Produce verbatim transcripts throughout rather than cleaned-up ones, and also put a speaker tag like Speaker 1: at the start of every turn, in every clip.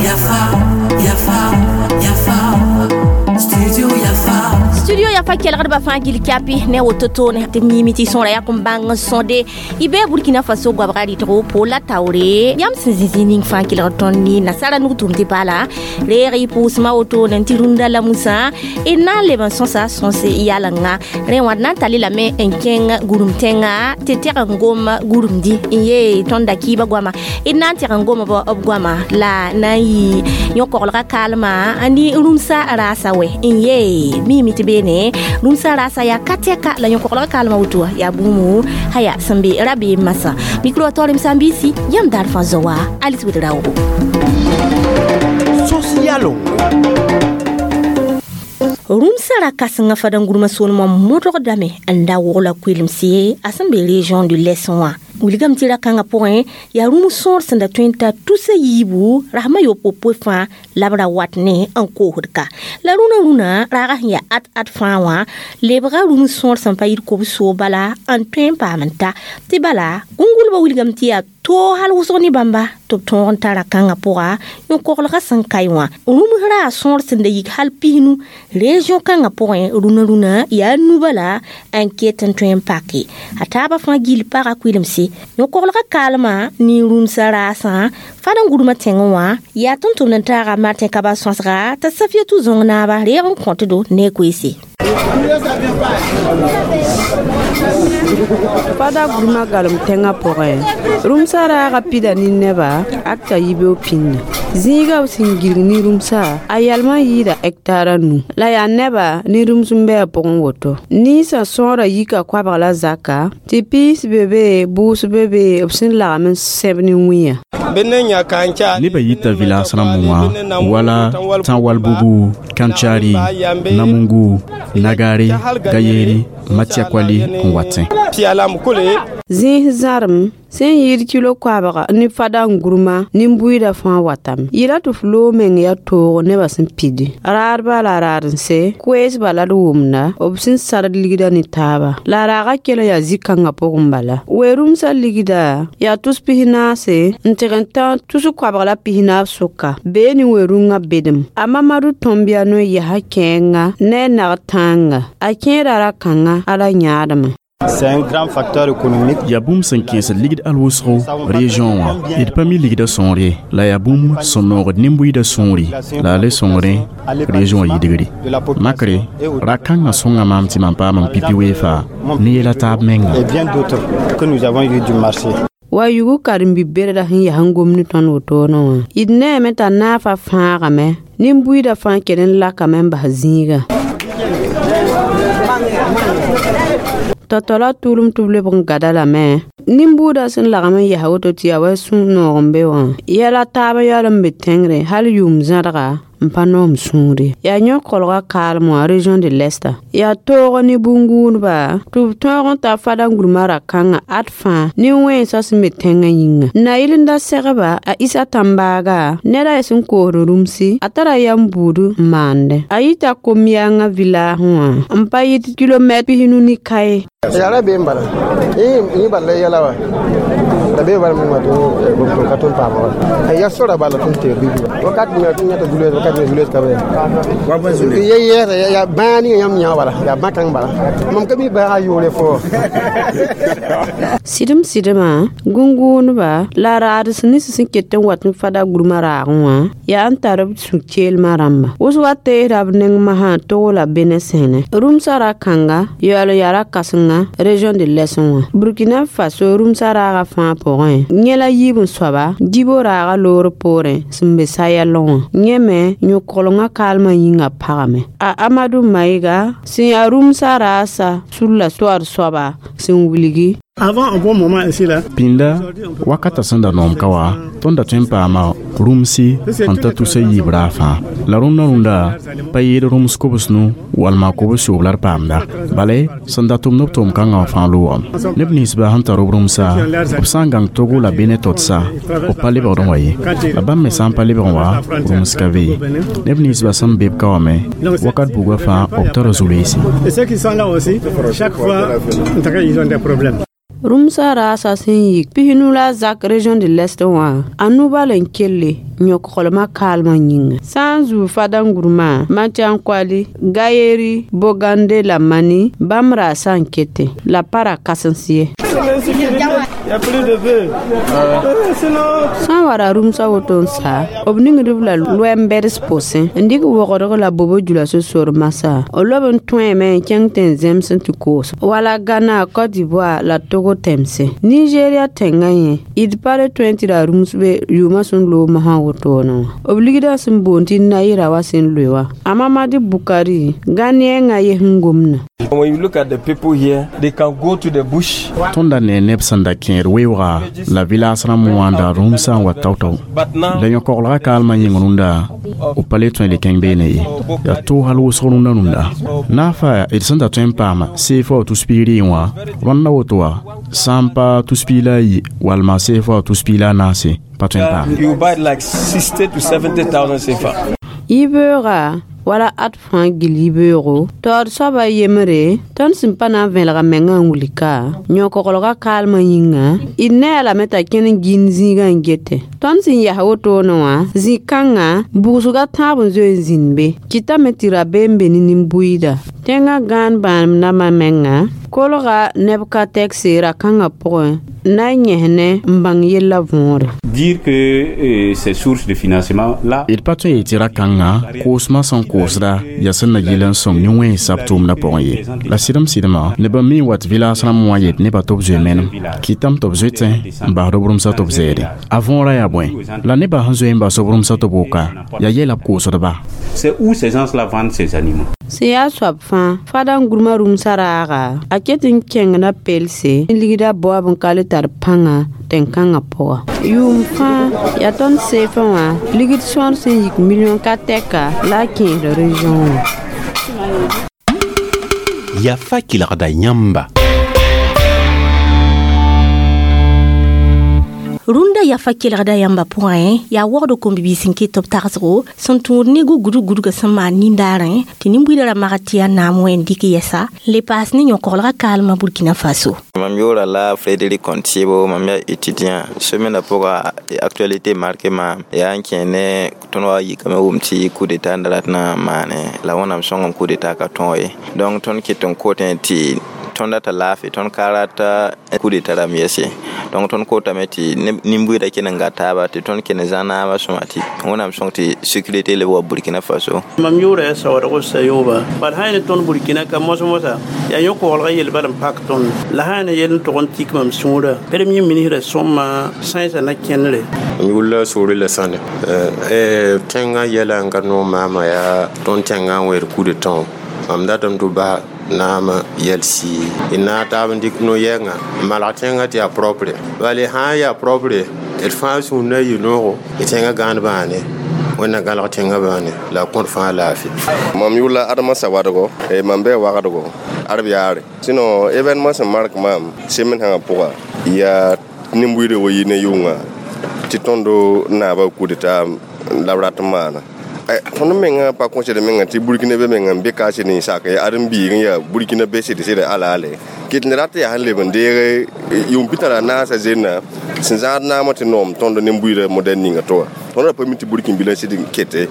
Speaker 1: Yafa, Yafa, Yafa, Studio Yafa.
Speaker 2: Studio Yafa kelgdbã fãa gill kapi ne woto toone tɩ miime tɩ sõora yak n bãng n sõde y bee Burkina Faso goabga rɩtgo po la taoore yãmb sẽn zĩ zĩ ning fãa kelgd tõnd ne nasara nug tʋm tɩ paala reeg y pʋʋsmã wotone tɩ rũndã la musã d na n leb n sõsa sõs yalenga rẽ wã d na n tall lame n kẽng gũrum tẽnga tɩ tɛg n gom gũrumdi n yee tõnd da kɩɩbã goama d na n tɛg n gom b goama la na n yɩ yõ-koglgã kaalmã ne rũmsa raasa wɛ n yee miime tɩ beene rũmsa raasa yaa ka tɛka la yõ-koglgã kaalmã woto yaa bũmb haya sẽn be rabeem masã mikro taoorem sãn-biisi yãmb daar fãa zao wa Alice Ouédraogo.
Speaker 3: Sosialo.
Speaker 2: Rũmsã ra kãsengã fadã-gurmã soolmã modgdame n da wogla koelemse a sẽn be région de l'Est wã wilgame tɩ ra-kãngã pʋgẽ yaa rũm sõor sẽn da tõe n ta tusa yiibu rasmã yopoe fãa la b ra wat ne n koosd ka la rũnã rũnã raagã sẽn yaa ad ad fãa wã lebga rũm sõor sẽn pa yit kobsoo bala n tõe n paam n ta tɩ bala gũngulbã wilgame tɩ yaa toog hal wʋsg ne bãmba tɩ b tõog n ta ra-kãngã pʋga yõ-koglgã sẽn kae wã rũms raa sõor sẽn da yik hal pisnu région kãngã pʋgẽ rũnã rũnã yaa nu bala n ket n tõe n pake a taabã fãa gill paga koelemse yõ-koglgã kaalmã ne rũmsã raasã fad n gurmã tẽngẽ wã yaa tʋm-tʋmd n taaga Martin Kaba sõsga t'a Safiatou zõng naaba reeg n kõtdo ne koeese.
Speaker 4: Fada gurma galem tẽngã pʋgẽ rũmsã raaga pida ne neba akta yibeoog pĩnda zĩiga b sẽn gilg ne rũmsã a yalmã yɩɩda hɛktaar a nu la yaa neba ne rũms n be a pʋgẽ woto ninsã sõora yika koabg la zaka tɩ piis be be bʋʋs be be b sẽn lagm n sẽb ne wĩyã.
Speaker 5: Neba yita village rãmb wã wala Tãwal-Bugu, Kantchari, Namungu, Nagare, Gayeri, Matiakwali n watẽ.
Speaker 4: Zĩis zãrem sẽn yɩɩd kilo koabga ne fada n gurmã nin-buiidã fãa watame yɩla tɩ f loog meng yaa toog nebã sẽn pidi raadba la raad-n-se koeesba la d wʋmda b sẽn sard ligdã ne taaba la raagã kell n yaa zĩ-kãngã pʋgẽ bala we-rũmsã ligda yaa tus pis-naase n tɩg n tã tus koabg la pis-naab sʋka bee ne we-rũngã bedem a Mamadu Tõmbiya no yasa kẽenga ne a nag tãanga a kẽeda ra-kãngã ala yãadmã.
Speaker 6: C'est un grand facteur économique.
Speaker 5: Yaa bũmb sẽn kẽesd ligd al wʋsgo région wã d pa mi ligdã sõor ye la yaa bũmb sẽn noogd nin-buiidã sõore la a le sõngre région wã yidgre makre ra-kãngã sõnga maam tɩ mam paam n pipi weefa ne yɛla taab menga.
Speaker 6: Et bien d'autres que nous avons eu du marché.
Speaker 4: Wa yugu karen-bi-berda sẽn yaa n gom ne tõnd wotone wã d neeme t'a naafa fãagame nin-buiidã fãa kell n lakame n bas zĩigã tao-tao la tʋʋlem tɩ b lebg n gada lame nin-buudã sẽn lagm n yaa woto tɩ yaa wa sũ-noog n be wã yɛla taab yaool n be tẽngre hal yʋʋm zãdga n pa noom sũure yaa yõ-kolgã kaalem wã région de l'Est yaa toog ne bũn-gũudba tɩ b tõog n ta fada n gurmã ra-kãngã ad fãa nin-wẽnsã sẽn be tẽngã yĩnga na yɩl n da segba a Isa Tãmbaaga ned a sẽn koosd rũmsi a tara yam buud n maande a yita kom-yãangã village wã n pa yɩt kilomɛt pisnu ne kae.
Speaker 7: Yara be n bala yẽ bala la yɛla wa la be bala mengã tɩ ka tõnd paama wa ya sora bala tõnd teer bibi wakat ninga tõnd yãta zulees wakat ninga zulees ka be ye yɛɛsa yaa bãa ninga yãmb yã bala yaa bã-kãng bala mam ka mi bãaga yʋʋre fo.
Speaker 4: Sɩdem sɩdemã gũngũunba la raads nins sẽn ket n wat n fada gurmã raagẽ wã yaa n tar b sũ-keelmã rãmba wʋsga teesda b neng masã togo la bene sẽne rũmsã ra-kãnga yaool n yaa ra-kãsenga région de l'Est wã Burkina Faso rũmsã raagã fãa pʋgẽ yẽ la yiib n soaba Djibo raagã loor poorẽ sẽn be Sayɛl wã yẽ me yõ-koglengã kaalmã yĩngã pagame a Amadu Maɩga sẽn yaa rũmsã raasa sulla toar soaba sẽn wilgi.
Speaker 8: Avant un bon moment ici là.
Speaker 5: Pĩnda wakata sẽn da noom ka wa tõnd da tõe n paama rũmsi n ta tusa yiib raag fãa la rũndã rũndã pa yɩɩd rũms kobs-nu walma kobs-yoob la d paamda bala sẽn da tʋmd b tʋʋm-kãngã wã fãa loogame neb ninsba sẽn tar b rũmsa b sã n gãng Togo la Benin totsa b pa lebgd n wa ye la bãmb me sã n pa lebg n wa rũms ka be ye neb ninsba sẽn be b ka wame wakat buga fãa b tara zu-reese.
Speaker 8: Et ceux qui sont là aussi, chaque fois, en tout cas, ils ont des problèmes.
Speaker 4: Rũmsã raasã sẽn yik pisnu la a zak région de l'Est wã a nu-bal n kelle yõk-kolmã kaalmã yĩnga sã n zuu fadangurmã Mathiankwali Gayeri Bogande la Mani bãmb raasã n kete la pa ra kãsens ye. Sã n wa ra rũmsã woto n sa b ningd-b la loɛm-bɛds pʋsẽ n dɩk wogdg la bobo jula sor masã b lob n tõeeme n kẽng tɩ n zems n tɩ koos wala Ghana, Côte d'Ivoire la Togo tẽmse Nigeria tẽngã yẽ d pa le tõe tɩ ra rũms be yʋʋmã sẽn loog mosã wotone wã b ligdã sẽn boond tɩ naira wa sẽn loe wã a Mamadi Bukari Ghaneenga yes n gomda.
Speaker 3: When you look at the people here, they can go to the bush.
Speaker 5: Tõnd da ne neb sẽn da kẽed weoogã la vɩlaas rãmb wã n da rũmsã n wa tao-tao la yõ-koglgã kaalmã yĩng rũndã b pa le tõe le kẽng beene ye yaa toog hal wʋsg rũndã rũndã naafa d sẽn da tõe n paama C F A tus piig rɩɩn wã rõndã woto wã sã n pa tus piig la a yi walma C F A tus piig la a naase pa tõe n paam.
Speaker 3: You buy like sixty to seventy thousand C F A.
Speaker 4: Yibeoogã wala ad fãa gil yibeoogo taood soaba yembre tõnd sẽn pa na n vẽelga mengã n wilka yõ-koglgã kaalmã yĩnga d ne a lame t'a kẽn n gĩnd zĩigã n gete tõnd sẽn yas wotone wã zĩ-kãngã bugsga tãab n zoe n zĩnd be kɩtame tɩ rabeem be ne nin-buiida tẽngã gãan bãanem nambã menga kolga neb ka tɛkse ra-kãngã pʋgẽ na n yẽs ne n bãng yellã võore.
Speaker 9: Dire que euh, ces sources de financement là
Speaker 5: D pa tõe n yetɩ ra-kãngã koosmã sẽn koosda yaa sẽn na yɩl n sõng nin-wẽnsã b tʋʋmdã pʋgẽ ye la sɩdem sɩdmã neb n mi n wat vɩlaas rãmb wã yet nebã tɩ b zoe menem kɩtame tɩ b zoetẽ n basd b rũmsã tɩ b zɛɛde a võorã yaa bõe la nebã sẽn zoe n bas b rũmsã tɩ b woka yaa yɛla b koosdba.
Speaker 9: C'est où ces gens-là vendent ces animaux.
Speaker 4: Sẽn yaa soab fãa fadangurmã rũmsã raaga a ket n kẽng na pelse n ligda baoab n ka le tar pãnga tẽn-kãngã pʋga yʋʋm fãa yaa tõnd seefã wã ligd sõor sẽn yik million ka tɛka la a kẽesd région wã.
Speaker 10: Yafa kelgda yãmba.
Speaker 2: Rũndã yafa kelgda yãmba pʋgẽ yaa wogd kom-bibiis n ket tɩ b tagsgo sẽn tũud ne gugudg gudgã sẽn maan nindaarẽ tɩ nin-buidã ra mag tɩ yaa naam wẽ n dɩk yɛsa n le paas ne yõ-koglgã kaalmã Burkina Faso.
Speaker 11: Mam yʋʋra la Frédéric Contiebo, mam yaa étudiant. Semaine pʋga actualité marqué maam yaa n kẽ ne tõnd wa yikame wʋm tɩ coup d'état n da rat na n maane la Wẽnnaam sõngem coup d'état ka tõog ye. Donc tõnd ket n kotẽ tɩ tõnd rata laafɩ tõnd ka rata coup d'état rãmb yɛs ye. Donc tõnd kotame tɩ nin-buiidã kell n gat taaba tɩ tõnd kell n zã naabã sõma tɩ Wẽnnaam sõng tɩ sécurité leb wa Burkina Faso.
Speaker 12: Mam yʋʋra yaa Saoodgo Sayooba bad sã ne tõnd Burkina ka mos mosa yaa yõ-koglgã yel bal n pak tõnd la sã ne yel n tog n tik mam sũurã premier ministre sõma sãensã na kẽnere.
Speaker 13: M yʋlla soore la sãne tẽngã yɛla n ka noog maama yaa tõnd tẽngã n wẽed coup d'état mam datame tɩ bas naamã yɛl sii d na taab n dɩk no-yɛngã n malg tẽngã tɩ yaa propre bala sã n yaa propre d fãa sũur na yɩ noogo d tẽngã gãand bãane Wẽnna gãlg tẽngã bãane la a kõt fãa laafɩ.
Speaker 14: Mam yʋʋla Adama Sawadgo, mam bɩ wagdgo ad b yaare sinon événement sẽn mark maam semaine sãngã pʋga yaa nin-buiidã wa yi ne yʋnga tɩ tõndo naabã coup d'état la b rat n maana. Tõnd mengã pa kõsd menga tɩ Burkina be menga n be ka sɩd n sak ad n biig n yaa Burkina be sɩd sɩd alaale kɩt ne rat yaa sẽn leb n deeg yʋʋm pita la naasã zennã sẽn zãad naamã tɩ noom tõnd nin-buiidã modèle ninga tɩ wa tõnd ra pa mi tɩ Burkin bila sɩd n kete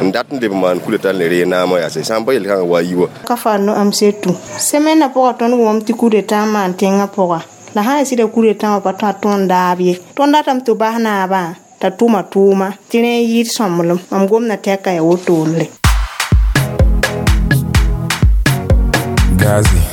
Speaker 14: n dat n leb n maan coup d'état n le ree naamã yaa sã n pa yel-kãngã wa yi wa.
Speaker 15: Ka fa no am setu semaine na pʋga tõnd wʋm tɩ coup d'état n maan tẽngã pʋga la sã n sɩda coup d'état wã pa tõa tõnd daab ye tõnd datame tɩ bas naabã t'a tʋma tʋʋma tɩ rẽ n yɩɩd sõmblem mam gomda tɛka yaa wotone.
Speaker 16: Gazi.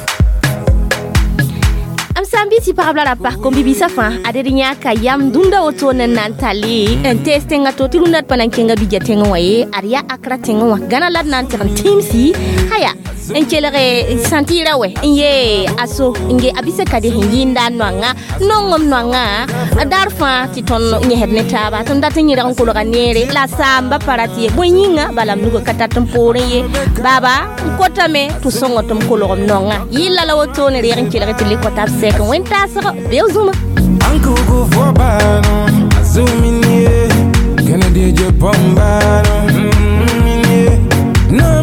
Speaker 2: M sã n bɩ tɩ pagb la ra pas kom-bibiisã fãa ad d yãaka yam dũnda woto n na n tale n tees tẽngã to tɩ rũndã d pa na n kẽnga bija tẽngẽ wã ye ad yaa Akra tẽngẽ wã Gãna la d na n tɩg n tĩimsi haya n kelge sãntɩɩra wɛ n yee aso n ge a bisa ka de sẽn yɩnda a noangã nongem noangã daar fãa tɩ tõnd yẽsd ne taaba tõnd dat n yẽrg n kolga neere la saamba pa rat ye bõe yĩnga bala m nuga ka tat n poorẽ ye baaba n kotame tɩ sõngo tɩ m kolgem noangã yɩlla la wotone reeg n kelg tɩ le kɔta b sɛk wẽn taasg beo zũma.
Speaker 16: Ankuku fobano, azuminie, Kennedy Japan bano, mm, no.